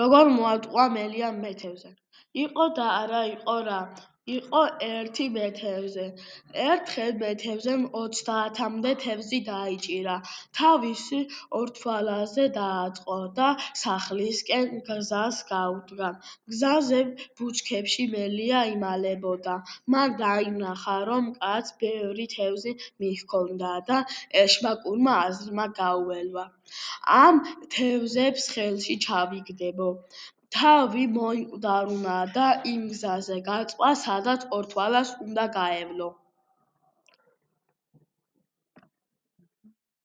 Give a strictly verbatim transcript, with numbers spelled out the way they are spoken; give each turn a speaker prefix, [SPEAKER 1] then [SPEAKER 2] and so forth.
[SPEAKER 1] როგორ მოატყუა მელია მეთევზე. იყო და არა იყო რა, იყო ერთი მეთევზე. ერთხელ მეთევზემ ოცდაათამდე თევზი დაიჭირა, თავისი ორთვალაზე დააწყო და სახლისკენ გზას გაუდგა. გზაზე ბუჩქებში მელია იმალებოდა. მან დაინახა, რომ კაცს ბევრი თევზი მიჰქონდა და ეშმაკურმა აზრმა გაუელვა, ამ თევზებს ხელში ჩავიგდებო. თავი მოიკვდარუნა და იმ გზაზე გაწვა, სადაც ორთვალას უნდა გაევლო.